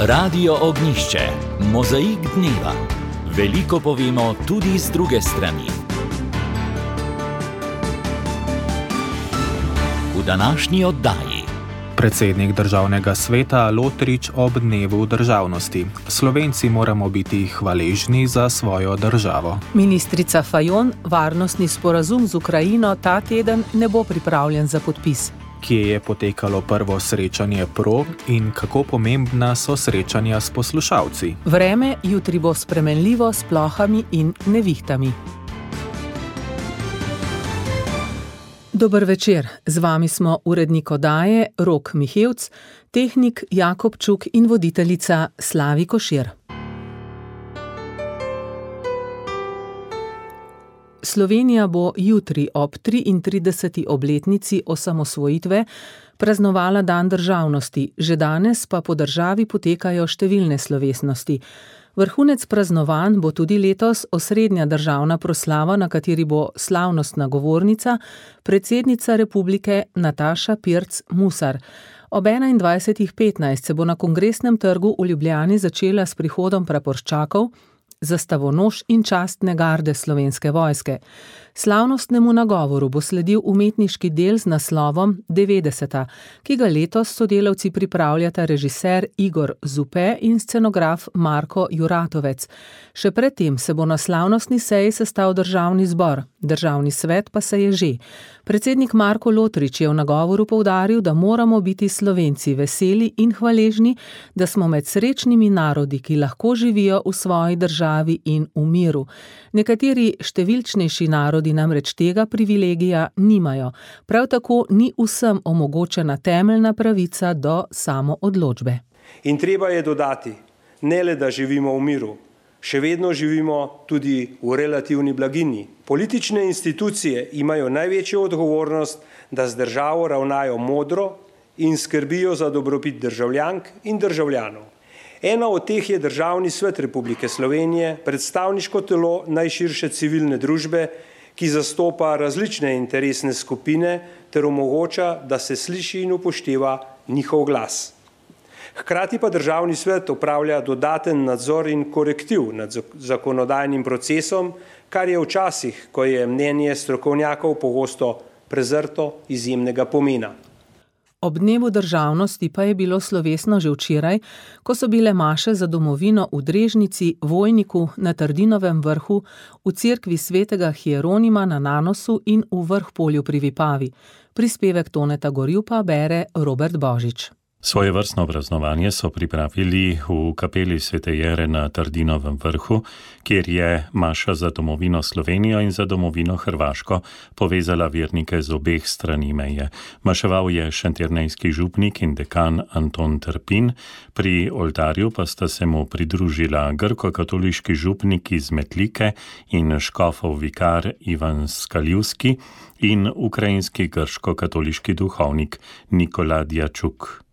Radio Ognjišče, mozaik dneva. Veliko povemo tudi z druge strani. V današnji oddaji. Predsednik Državnega sveta Lotrič ob dnevu državnosti. Slovenci moramo biti hvaležni za svojo državo. Ministrica Fajon, varnostni sporazum z Ukrajino ta teden ne bo pripravljen za podpis. Kje je potekalo prvo srečanje pro in kako pomembna so srečanja s poslušalci? Vreme jutri bo spremenljivo s plohami in nevihtami. Dober večer, z vami smo urednik oddaje Rok Mihevc, tehnik Jakob Čuk in voditeljica Slavi Košir. Slovenija bo jutri ob 33. obletnici osamosvojitve praznovala dan državnosti, že danes pa po državi potekajo številne slovesnosti. Vrhunec praznovanj bo tudi letos osrednja državna proslava, na kateri bo slavnostna govornica, predsednica republike Nataša Pirc Musar. Ob 21:15 se bo na Kongresnem trgu v Ljubljani začela s prihodom praporščakov, zastavonoš in častne garde Slovenske vojske. Slavnostnemu nagovoru bo sledil umetniški del z naslovom 90, ki ga letos sodelavci pripravljata režiser Igor Zupe in scenograf Marko Juratovec. Še predtem se bo na slavnostni seji sestal državni zbor, državni svet pa se je že. Predsednik Marko Lotrič je v nagovoru poudaril, da moramo biti Slovenci veseli in hvaležni, da smo med srečnimi narodi, ki lahko živijo v svoji državi in v miru. Nekateri številčnejši narodi namreč tega privilegija nimajo. Prav tako ni vsem omogočena temeljna pravica do samoodločbe. In treba je dodati, ne le da živimo v miru, še vedno živimo tudi v relativni blaginji. Politične institucije imajo največjo odgovornost, da z državo ravnajo modro in skrbijo za dobrobit državljank in državljanov. Ena od teh je Državni svet Republike Slovenije, predstavniško telo najširše civilne družbe, ki zastopa različne interesne skupine ter omogoča, da se sliši in upošteva njihov glas. Hkrati pa Državni svet opravlja dodaten nadzor in korektiv nad zakonodajnim procesom, kar je včasih, ko je mnenje strokovnjakov pogosto prezrto, izjemnega pomena. Ob dnevu državnosti pa je bilo slovesno že včeraj, ko so bile maše za domovino v Drežnici, Vojniku, na Trdinovem vrhu, v cerkvi svetega Hieronima na Nanosu in v Vrhpolju pri Vipavi. Prispevek Toneta Gorjupa bere Robert Božič. Svojevrstno praznovanje so pripravili v kapeli Svete Jere na Trdinovem vrhu, kjer je maša za domovino Slovenijo in za domovino Hrvaško povezala vernike z obeh strani meje. Maševal je šentjernejski župnik in dekan Anton Trpin, pri oltarju pa sta se mu pridružila grko-katoliški župnik iz Metlike in škofov vikar Ivan Skaljivski in ukrajinski grško-katoliški duhovnik Nikola Djačuk.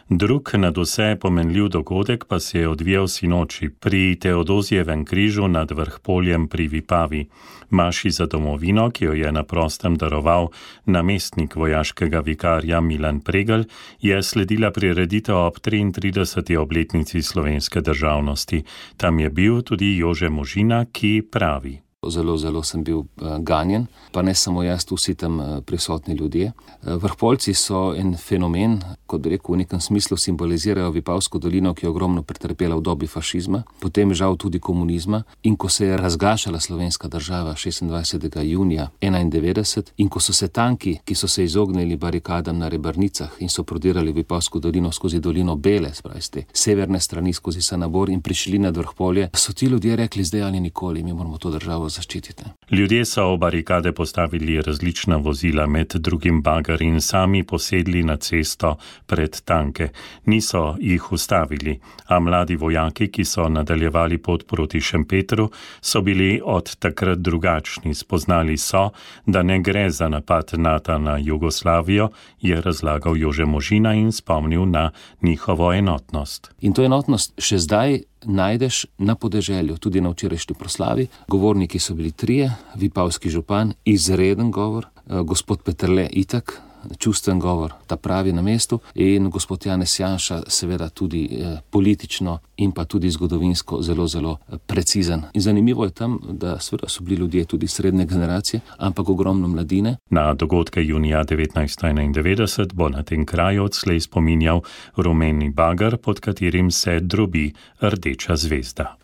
Drug nadvse pomenljiv dogodek pa se je odvijal sinoči pri Teodozijevem križu nad Vrhpoljem pri Vipavi. Maši za domovino, ki jo je na prostem daroval namestnik vojaškega vikarja Milan Pregl, je sledila prireditev ob 33. obletnici slovenske državnosti. Tam je bil tudi Jože Možina, ki pravi: Zelo sem bil ganjen, pa ne samo jaz, vsi tam prisotni ljudje. Vrhpoljci so en fenomen, kot bi rekel, v nekem smislu simbolizirajo Vipavsko dolino, ki je ogromno pretrpela v dobi fašizma, potem žal tudi komunizma, in ko se je razgašala slovenska država 26. junija 1991 in ko so se tanki, ki so se izognili barikadam na Rebrnicah in so prodirali Vipavsko dolino skozi dolino Bele, spravi z te severne strani skozi Sanabor in prišli nad Vrhpolje, so ti ljudje rekli: zdaj ali nikoli, mi moramo to državo zaščititi. Ljudje so v barikade postavili različna vozila, med drugim bager, in sami posedli na cesto pred tanke. Niso jih ustavili, a mladi vojaki, ki so nadaljevali pot proti Šempetru, so bili od takrat drugačni. Spoznali so, da ne gre za napad NATO na Jugoslavijo, je razlagal Jože Možina in spomnil na njihovo enotnost. In to enotnost še zdaj najdeš na podeželju, tudi na včerajšnji proslavi. Govorniki so bili trije, vipavski župan, izreden govor, gospod Peterle itak, čustven govor, ta pravi na mestu, in gospod Janez Janša seveda tudi politično in pa tudi zgodovinsko zelo, zelo precizen. In zanimivo je tam, da seveda so bili ljudje tudi srednje generacije, ampak ogromno mladine. Na dogodke junija 1991 bo na tem kraju odslej spominjal rumeni bager, pod katerim se drobi rdeča zvezda.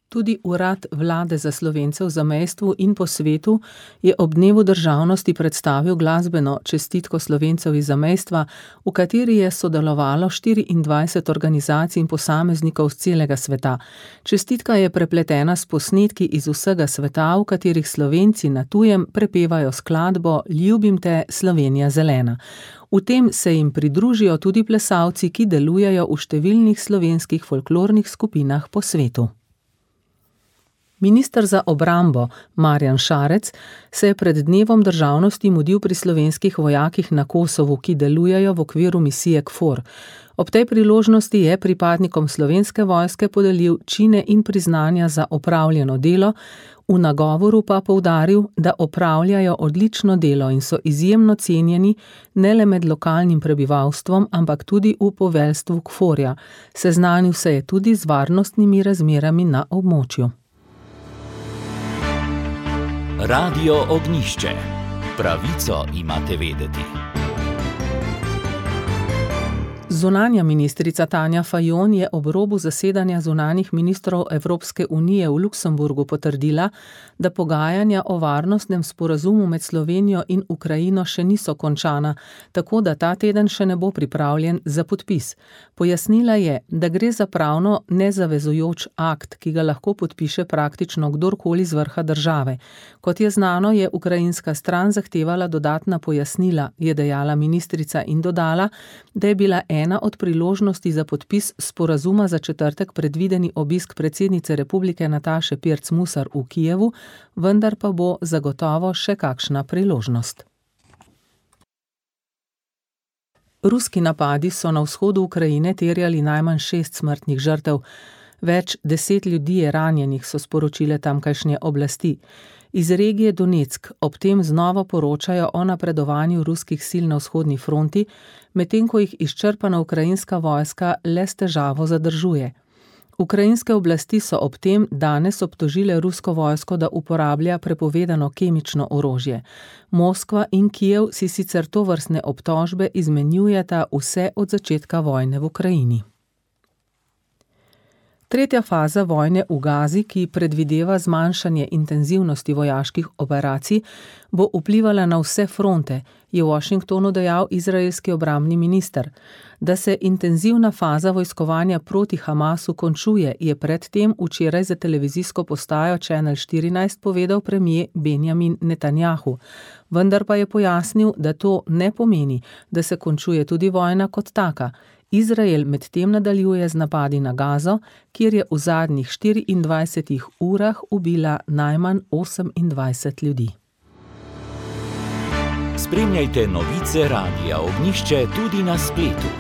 Tudi Urad vlade za Slovence v zamejstvu in po svetu je ob dnevu državnosti predstavil glasbeno čestitko Slovencev iz zamejstva, v kateri je sodelovalo 24 organizacij in posameznikov z celega sveta. Čestitka je prepletena s posnetki iz vsega sveta, v katerih Slovenci na tujem prepevajo skladbo Ljubim te, Slovenija zelena. V tem se jim pridružijo tudi plesalci, ki delujejo v številnih slovenskih folklornih skupinah po svetu. Minister za obrambo Marjan Šarec se je pred dnevom državnosti mudil pri slovenskih vojakih na Kosovu, ki delujejo v okviru misije KFOR. Ob tej priložnosti je pripadnikom slovenske vojske podelil čine in priznanja za opravljeno delo, v nagovoru pa poudaril, da opravljajo odlično delo in so izjemno cenjeni ne le med lokalnim prebivalstvom, ampak tudi v poveljstvu KFOR-ja. Seznanil se je tudi z varnostnimi razmerami na območju. Radio Ognjišče. Pravico imate vedeti. Zunanja ministrica Tanja Fajon je ob robu zasedanja zunanjih ministrov Evropske unije v Luksemburgu potrdila, da pogajanja o varnostnem sporazumu med Slovenijo in Ukrajino še niso končana, tako da ta teden še ne bo pripravljen za podpis. Pojasnila je, da gre za pravno nezavezujoč akt, ki ga lahko podpiše praktično kdorkoli z vrha države. Kot je znano, je ukrajinska stran zahtevala dodatna pojasnila, je dejala ministrica in dodala, da je bila ena od priložnosti za podpis sporazuma za četrtek predvideni obisk predsednice republike Nataše Pirc Musar v Kijevu, vendar pa bo zagotovo še kakšna priložnost. Ruski napadi so na vzhodu Ukrajine terjali najmanj 6 smrtnih žrtev. Več 10 ljudi je ranjenih, so sporočile tamkajšnje oblasti. Iz regije Donetsk ob tem znova poročajo o napredovanju ruskih sil na vzhodni fronti, medtem ko jih izčrpana ukrajinska vojska le s težavo zadržuje. Ukrajinske oblasti so ob tem danes obtožile rusko vojsko, da uporablja prepovedano kemično orožje. Moskva in Kijev si sicer tovrstne obtožbe izmenjujeta vse od začetka vojne v Ukrajini. Tretja faza vojne v Gazi, ki predvideva zmanjšanje intenzivnosti vojaških operacij, bo vplivala na vse fronte, je v Washingtonu dejal izraelski obrambni minister. Da se intenzivna faza vojskovanja proti Hamasu končuje, je predtem včeraj za televizijsko postajo Channel 14 povedal premier Benjamin Netanjahu. Vendar pa je pojasnil, da to ne pomeni, da se končuje tudi vojna kot taka. Izrael medtem nadaljuje z napadi na Gazo, kjer je v zadnjih 24 urah ubila najmanj 28 ljudi. Spremljajte novice Radia Ognjišče tudi na spletu.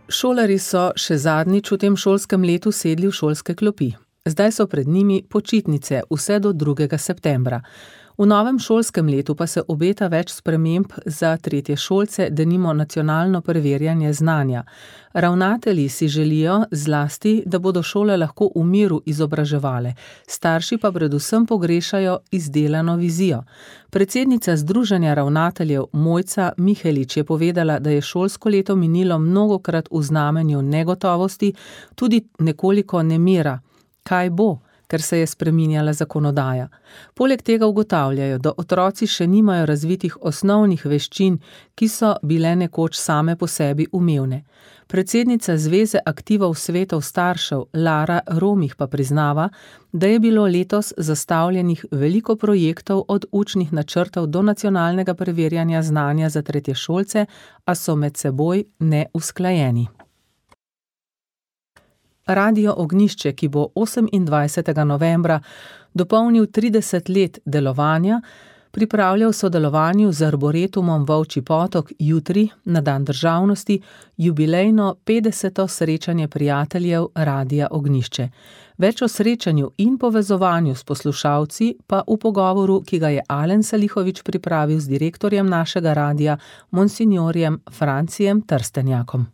Šolarji so še zadnjič v tem šolskem letu sedli v šolske klopi. Zdaj so pred njimi počitnice vse do 2. septembra. V novem šolskem letu pa se obeta več sprememb za tretješolce, denimo nacionalno preverjanje znanja. Ravnatelji si želijo zlasti, da bodo šole lahko v miru izobraževale, starši pa predvsem pogrešajo izdelano vizijo. Predsednica Združenja ravnateljev Mojca Mihelič je povedala, da je šolsko leto minilo mnogokrat v znamenju negotovosti, tudi nekoliko nemira. Kaj bo? Ker se je spreminjala zakonodaja. Poleg tega ugotavljajo, da otroci še nimajo razvitih osnovnih veščin, ki so bile nekoč same po sebi umevne. Predsednica Zveze aktivov svetov staršev Lara Romih pa priznava, da je bilo letos zastavljenih veliko projektov od učnih načrtov do nacionalnega preverjanja znanja za tretješolce, a so med seboj neusklajeni. Radio Ognjišče, ki bo 28. novembra dopolnil 30 let delovanja, pripravlja v sodelovanju z Arboretumom Volčji potok jutri, na dan državnosti, jubilejno 50. srečanje prijateljev Radia Ognjišče. Več o srečanju in povezovanju s poslušalci pa v pogovoru, ki ga je Alen Salihovič pripravil z direktorjem našega radia, monsinjorjem Francijem Trstenjakom.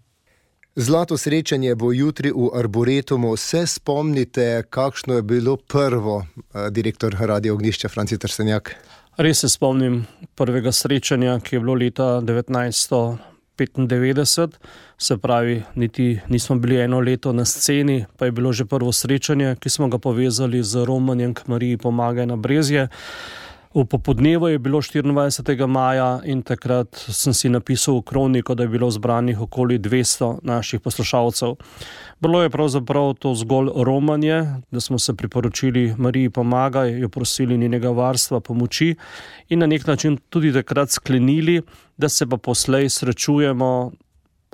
Zlato srečanje bo jutri v Arboretumu. Se spomnite, kakšno je bilo prvo, direktor Radia Ognjišče Franci Trstenjak? Res se spomnim prvega srečanja, ki je bilo leta 1995, se pravi, niti nismo bili eno leto na sceni, pa je bilo že prvo srečanje, ki smo ga povezali z romanjem k Mariji Pomagaj na Brezje. V popodnevu je bilo 24. maja in takrat sem si napisal v kroniko, da je bilo zbranih okoli 200 naših poslušalcev. Bilo je pravzaprav to zgolj romanje, da smo se priporočili Mariji Pomagaj, jo prosili njenega varstva, pomoči in na nek način tudi takrat sklenili, da se pa poslej srečujemo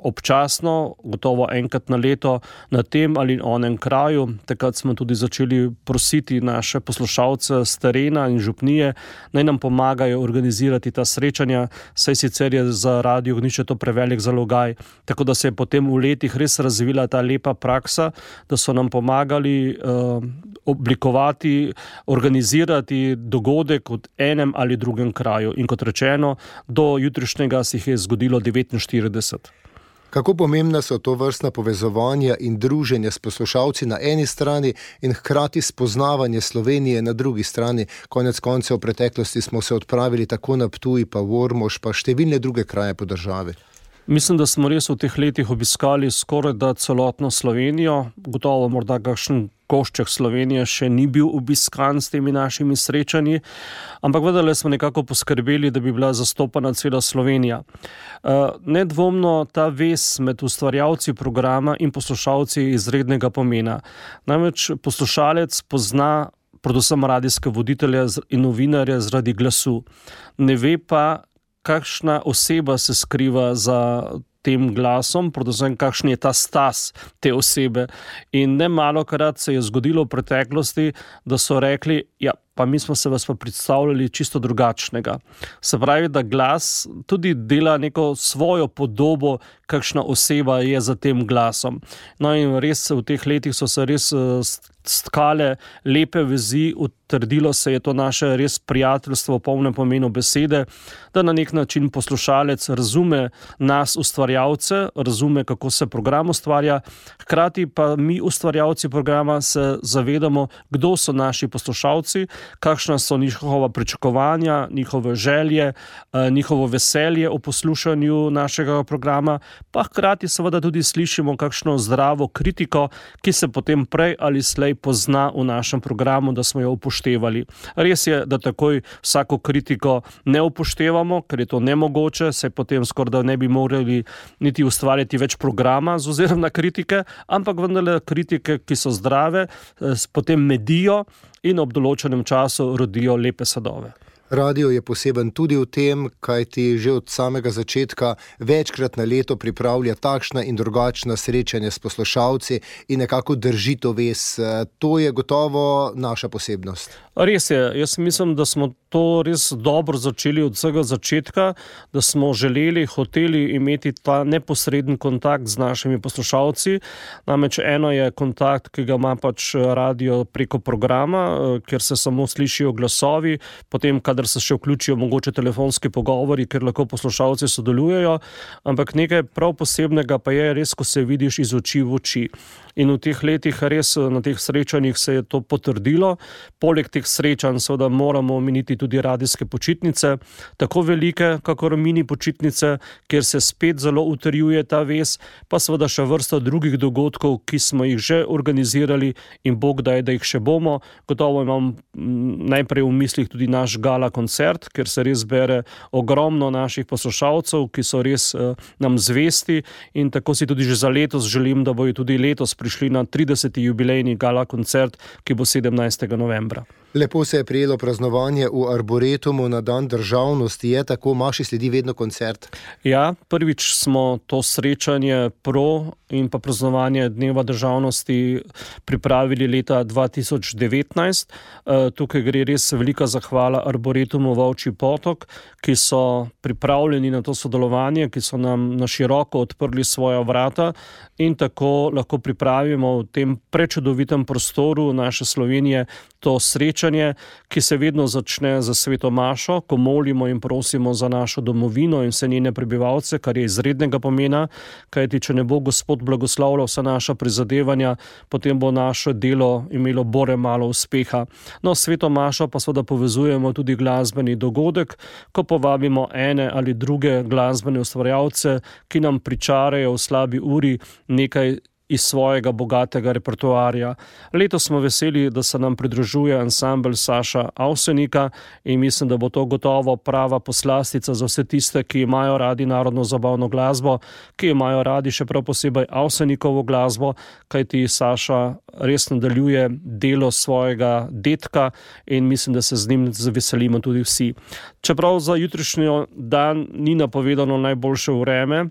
občasno, gotovo enkrat na leto, na tem ali onem kraju. Takrat smo tudi začeli prositi naše poslušalce z terena in župnije, naj nam pomagajo organizirati ta srečanja, saj sicer je za Radio Ognjišče to prevelik zalogaj. Tako da se je potem v letih res razvila ta lepa praksa, da so nam pomagali oblikovati, organizirati dogodek v enem ali drugem kraju. In kot rečeno, do jutrišnjega se jih je zgodilo 49. Kako pomembna so to vrstna povezovanja in druženje s poslušalci na eni strani in hkrati spoznavanje Slovenije na drugi strani? Konec koncev v preteklosti smo se odpravili tako na Ptuj, pa v Ormož, pa številne druge kraje po državi. Mislim, da smo res v teh letih obiskali skoraj da celotno Slovenijo. Gotovo morda kakšen košček Slovenije še ni bil obiskan s temi našimi srečanji, ampak vendarle smo nekako poskrbeli, da bi bila zastopana cela Slovenija. Nedvomno ta vez med ustvarjalci programa in poslušalci je izrednega pomena. Namreč poslušalec pozna predvsem radijske voditelje in novinarje zaradi glasu. Ne ve pa, kakšna oseba se skriva za tem glasom, predvsem kakšen je ta stas te osebe. In nemalokrat se je zgodilo v preteklosti, da so rekli, ja, pa mi smo se vas pa predstavljali čisto drugačnega. Se pravi, da glas tudi dela neko svojo podobo, kakšna oseba je za tem glasom. No in res v teh letih so se res stkale lepe vezi, utrdilo se je to naše res prijateljstvo v polnem pomenu besede, da na nek način poslušalec razume nas ustvarjalce, razume, kako se program ustvarja, hkrati pa mi ustvarjalci programa se zavedamo, kdo so naši poslušalci, kakšna so njihova pričakovanja, njihove želje, njihovo veselje o poslušanju našega programa, pa hkrati seveda tudi slišimo kakšno zdravo kritiko, ki se potem prej ali slej pozna v našem programu, da smo jo upoštevali. Res je, da takoj vsako kritiko ne upoštevamo, ker je to nemogoče, saj potem skoraj da ne bi morali niti ustvarjati več programa z ozirom na kritike, ampak vendarle kritike, ki so zdrave, potem medijo in ob določenem času rodijo lepe sadove. Radio je poseben tudi v tem, kajti že od samega začetka večkrat na leto pripravlja takšna in drugačna srečanja s poslušalci in nekako drži to vez. To je gotovo naša posebnost. Res je, jaz mislim, da smo to res dobro začeli od vsega začetka, da smo želeli, hoteli imeti ta neposreden kontakt z našimi poslušalci. Namreč eno je kontakt, ki ga ima pač radio preko programa, kjer se samo slišijo glasovi, potem kadar se še vključijo mogoče telefonski pogovori, kjer lahko poslušalci sodelujejo, ampak nekaj prav posebnega pa je res, ko se vidiš iz oči v oči. In v teh letih res na teh srečanjih se je to potrdilo. Poleg teh srečanj seveda moramo omeniti tudi radijske počitnice, tako velike, kakor mini počitnice, kjer se spet zelo utrjuje ta vez, pa seveda še vrsta drugih dogodkov, ki smo jih že organizirali in Bog daj, da jih še bomo. Gotovo imam najprej v mislih tudi naš gala koncert, kjer se res bere ogromno naših poslušalcev, ki so res nam zvesti in tako si tudi že za letos želim, da bojo tudi letos prišli na 30. jubilejni gala koncert, ki bo 17. novembra. Lepo se je prijelo praznovanje v Arboretumu na dan državnosti. Je tako, Maši sledi vedno koncert? Ja, prvič smo to srečanje in pa praznovanje Dneva državnosti pripravili leta 2019. Tukaj gre res velika zahvala Arboretumu Volčji potok, ki so pripravljeni na to sodelovanje, ki so nam na široko odprli svoja vrata in tako lahko pripravimo v tem prečudovitem prostoru naše Slovenije to srečanje, ki se vedno začne za sveto mašo, ko molimo in prosimo za našo domovino in vse njene prebivalce, kar je izrednega pomena, kajti če ne bo Gospod blagoslavljal vsa naša prizadevanja, potem bo naše delo imelo bore malo uspeha. No, sveto mašo pa seveda povezujemo tudi glasbeni dogodek, ko povabimo ene ali druge glasbene ustvarjalce, ki nam pričarajo v slabi uri nekaj iz svojega bogatega repertoarja. Letos smo veseli, da se nam pridružuje ansambel Saša Avsenika in mislim, da bo to gotovo prava poslastica za vse tiste, ki imajo radi narodno zabavno glasbo, ki imajo radi še prav posebej Avsenikovo glasbo, kajti Saša res nadaljuje delo svojega dedka in mislim, da se z njim zaveselimo tudi vsi. Čeprav za jutrišnjo dan ni napovedano najboljše vreme,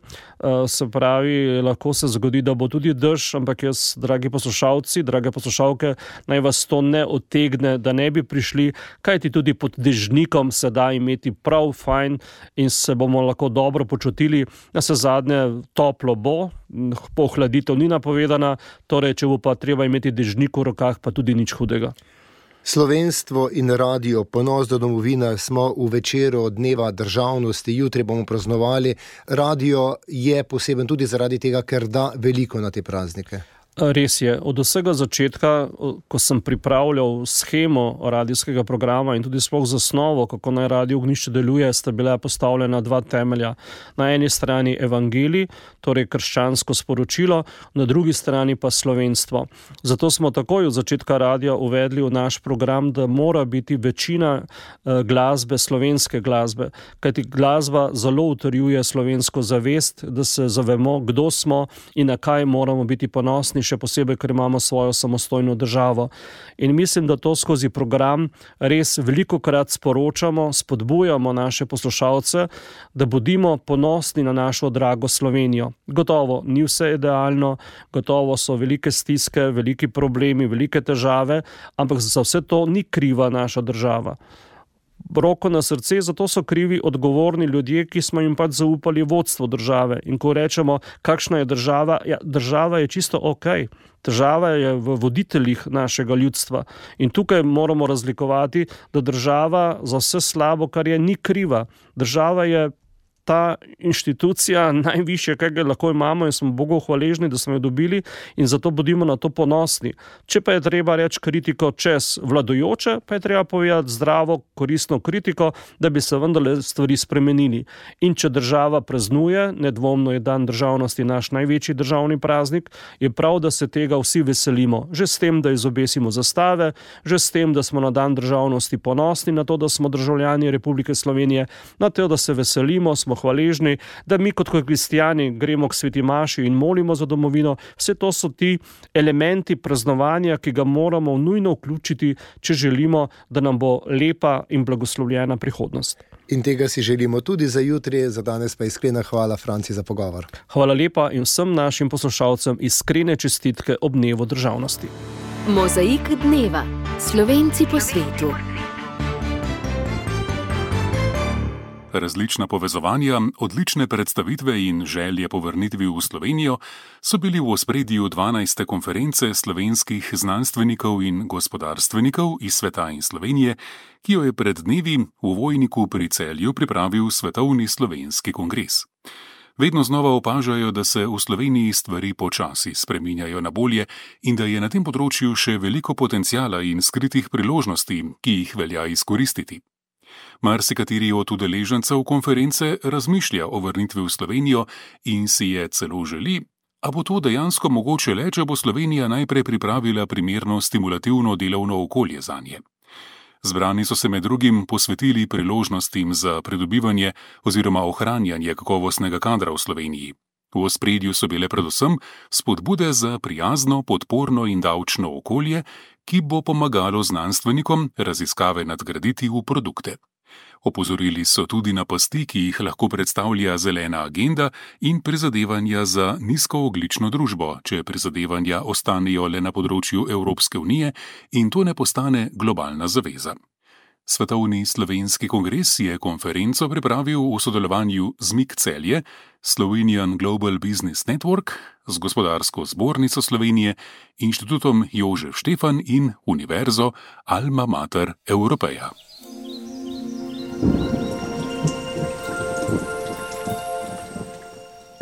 se pravi, lahko se zgodi, da bo tudi dež, ampak jaz, dragi poslušalci, drage poslušalke, naj vas to ne odtegne, da ne bi prišli, kajti tudi pod dežnikom se da imeti prav fajn in se bomo lahko dobro počutili. Na se zadnje toplo bo, pohladitev ni napovedana, torej, če bo pa treba imeti dežnik v rokah, pa tudi nič hudega. Slovenstvo in radio, ponos do domovine, smo v večeru Dneva državnosti, jutri bomo praznovali. Radio je poseben tudi zaradi tega, ker da veliko na te praznike. Res je. Od vsega začetka, ko sem pripravljal shemo radijskega programa in tudi sploh zasnovo, kako naj Radio Ognjišče deluje, sta bila postavljena dva temelja. Na eni strani evangelij, torej krščansko sporočilo, na drugi strani pa slovenstvo. Zato smo takoj od začetka radia uvedli v naš program, da mora biti večina glasbe slovenske glasbe, kajti glasba zelo utrjuje slovensko zavest, da se zavemo, kdo smo in na kaj moramo biti ponosni, še posebej, ker imamo svojo samostojno državo. In mislim, da to skozi program res velikokrat sporočamo, spodbujamo naše poslušalce, da bodimo ponosni na našo drago Slovenijo. Gotovo ni vse idealno, gotovo so velike stiske, veliki problemi, velike težave, ampak za vse to ni kriva naša država. Roko na srce, zato so krivi odgovorni ljudje, ki smo jim pač zaupali vodstvo države. In ko rečemo, kakšna je država, ja, država je čisto okej. Država je v voditeljih našega ljudstva. In tukaj moramo razlikovati, da država za vse slabo, kar je, ni kriva. Država je ta inštitucija najvišje, kaj ga lahko imamo in smo Bogu hvaležni, da smo jo dobili in zato bodimo na to ponosni. Če pa je treba reči kritiko čez vladajoče, pa je treba povedati zdravo, koristno kritiko, da bi se vendarle stvari spremenili. In če država praznuje, nedvomno je dan državnosti naš največji državni praznik, je prav, da se tega vsi veselimo. Že s tem, da izobesimo zastave, že s tem, da smo na dan državnosti ponosni na to, da smo državljani Republike Slovenije, na to, da se veselimo, smo hvaležni, da mi kot kristjani gremo k sveti maši in molimo za domovino. Vse to so ti elementi praznovanja, ki ga moramo nujno vključiti, če želimo, da nam bo lepa in blagoslovljena prihodnost. In tega si želimo tudi za jutri, za danes pa iskrena hvala, Franci, za pogovor. Hvala lepa in vsem našim poslušalcem iskrene čestitke ob Dnevu državnosti. Mozaik dneva. Slovenci po svetu. Različna povezovanja, odlične predstavitve in želje po vrnitvi v Slovenijo so bili v ospredju 12. konference slovenskih znanstvenikov in gospodarstvenikov iz sveta in Slovenije, ki jo je pred dnevi v Vojniku pri Celju pripravil Svetovni slovenski kongres. Vedno znova opažajo, da se v Sloveniji stvari počasi spreminjajo na bolje in da je na tem področju še veliko potenciala in skritih priložnosti, ki jih velja izkoristiti. Marsikateri od udeležencev konference razmišlja o vrnitvi v Slovenijo in si je celo želi, a bo to dejansko mogoče le, če bo Slovenija najprej pripravila primerno stimulativno delovno okolje zanje. Zbrani so se med drugim posvetili priložnostim za pridobivanje oziroma ohranjanje kakovostnega kadra v Sloveniji. V ospredju so bile predvsem spodbude za prijazno, podporno in davčno okolje, ki bo pomagalo znanstvenikom raziskave nadgraditi v produkte. Opozorili so tudi na pasti, ki jih lahko predstavlja zelena agenda in prizadevanja za nizkoogljično družbo, če prizadevanja ostanejo le na področju Evropske unije in to ne postane globalna zaveza. Svetovni slovenski kongres je konferenco pripravil v sodelovanju z MIK Celje, Slovenian Global Business Network, z Gospodarsko zbornico Slovenije, Inštitutom Jožef Štefan in Univerzo Alma Mater Europeja.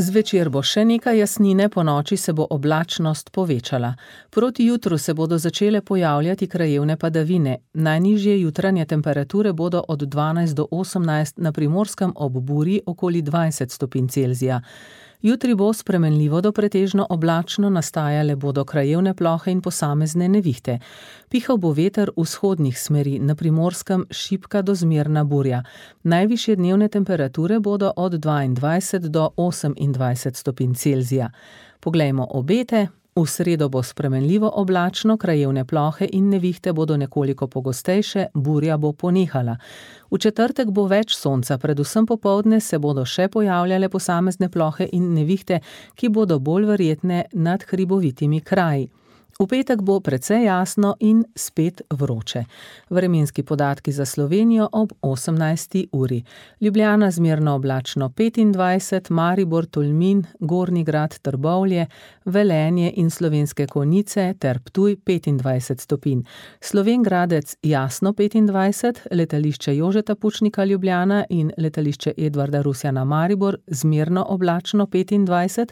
Zvečer bo še nekaj jasnine, ponoči se bo oblačnost povečala. Proti jutru se bodo začele pojavljati krajevne padavine. Najnižje jutranje temperature bodo od 12 do 18, na Primorskem ob Burji okoli 20 stopinj Celzija. Jutri bo spremenljivo do pretežno oblačno, nastajale bodo krajevne plohe in posamezne nevihte. Pihal bo veter vzhodnih smeri, na Primorskem šibka do zmerna burja. Najvišje dnevne temperature bodo od 22 do 28 stopinj Celzija. Poglejmo obete. V sredo bo spremenljivo oblačno, krajevne plohe in nevihte bodo nekoliko pogostejše, burja bo ponehala. V četrtek bo več sonca, predvsem popoldne se bodo še pojavljale posamezne plohe in nevihte, ki bodo bolj verjetne nad hribovitimi kraji. V petek bo precej jasno in spet vroče. Vremenski podatki za Slovenijo ob 18. uri. Ljubljana zmerno oblačno 25, Maribor, Tolmin, Gornji Grad, Trbovlje, Velenje in Slovenske Konjice ter Ptuj 25 stopinj. Slovenj Gradec jasno 25, letališče Jožeta Pučnika Ljubljana in letališče Edvarda Rusjana Maribor zmerno oblačno 25,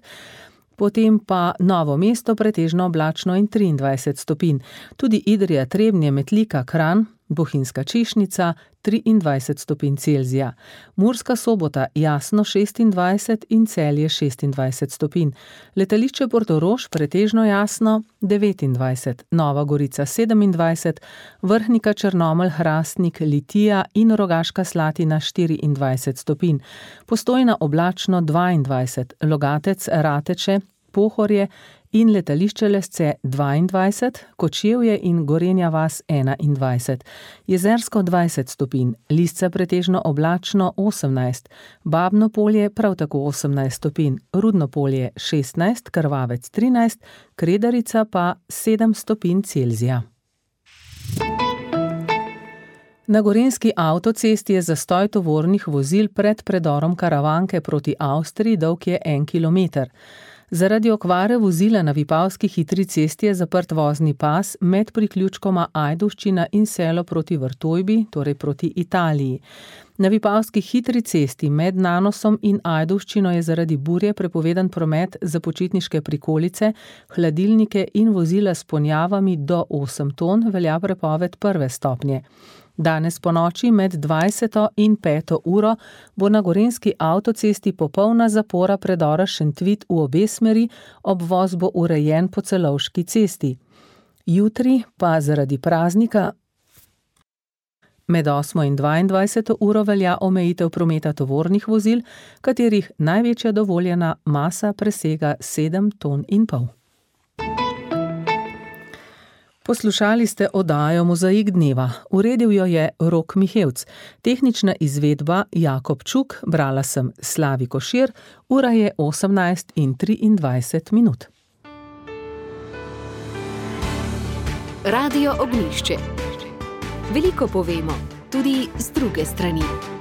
potem pa Novo mesto pretežno oblačno in 23 stopinj. Tudi Idrija, Trebnje, Metlika, Kranj, Bohinjska Češnjica 23 stopinj Celzija. Murska Sobota jasno 26 in Celje 26 stopinj. Letališče Portorož pretežno jasno 29, Nova Gorica 27, Vrhnika, Črnomelj, Hrastnik, Litija in Rogaška Slatina 24 stopinj. Postojna oblačno 22, Logatec, Rateče, Pohorje in letališče Lesce 22, Kočevje in Gorenja vas 21, Jezersko 20 stopinj, Lisca pretežno oblačno 18, Babno Polje prav tako 18 stopinj, Rudno Polje 16, Krvavec 13, Kredarica pa 7 stopinj Celzija. Na gorenjski avtocesti je zastoj tovornih vozil pred predorom Karavanke proti Avstriji, dolg je 1 kilometer. Zaradi okvare vozila na Vipavski hitri cesti je zaprt vozni pas med priključkoma Ajdovščina in Selo proti Vrtojbi, torej proti Italiji. Na Vipavski hitri cesti med Nanosom in Ajdovščino je zaradi burje prepovedan promet za počitniške prikolice, hladilnike in vozila s ponjavami do 8 ton, velja prepoved 1. stopnje. Danes ponoči med 20. in 5. uro bo na gorenjski avtocesti popolna zapora predora Šentvit v obe smeri, obvoz bo urejen po Celovški cesti. Jutri pa zaradi praznika med 8. in 22. uro velja omejitev prometa tovornih vozil, katerih največja dovoljena masa presega 7,5 ton. Poslušali ste oddajo Mozaik dneva. Uredil jo je Rok Mihevc. Tehnična izvedba Jakob Čuk, brala sem Slavi Košir, ura je 18:23. Radio Ognjišče. Veliko povemo, tudi z druge strani.